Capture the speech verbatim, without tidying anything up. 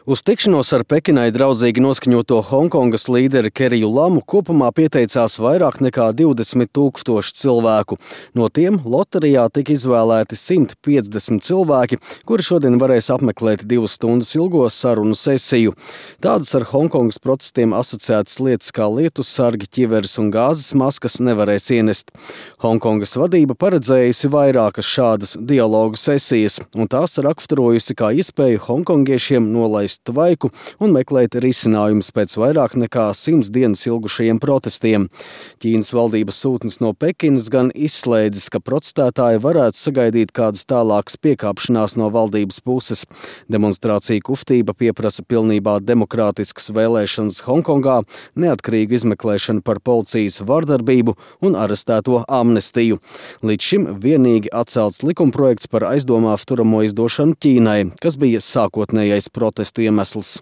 Uz tikšanos ar Pekinai draudzīgi noskaņoto Honkongas līderi Keriju Lamu kopumā pieteicās vairāk nekā divdesmit tūkstoši cilvēku. No tiem loterijā tika izvēlēti simt piecdesmit cilvēki, kuri šodien varēs apmeklēt divas stundas ilgo sarunu sesiju. Tādas ar Honkongas protestiem asociētas lietas kā lietus sargi, ķiveres un gāzes maskas nevarēs ienest. Honkongas vadība paredzējusi vairākas šādas dialogu sesijas, un tās raksturojusi kā iespēju hongkongiešiem nolaist tvaiku un meklēt risinājumus pēc vairāk nekā simts dienas ilgušajiem protestiem. Ķīnas valdības sūtnis no Pekinas gan izslēdzis, ka protestētāji varētu sagaidīt kādas tālākas piekāpšanās no valdības puses. Demonstrācija kustība pieprasa pilnībā demokrātiskas vēlēšanas Hongkongā, neatkarīgu izmeklēšanu par policijas vardarbību un arestēto amnestiju. Līdz šim vienīgi atcelts likumprojekts par aizdomās turamo izdošanu Ķīnai, kas bija sākotnējais protestu iemesls.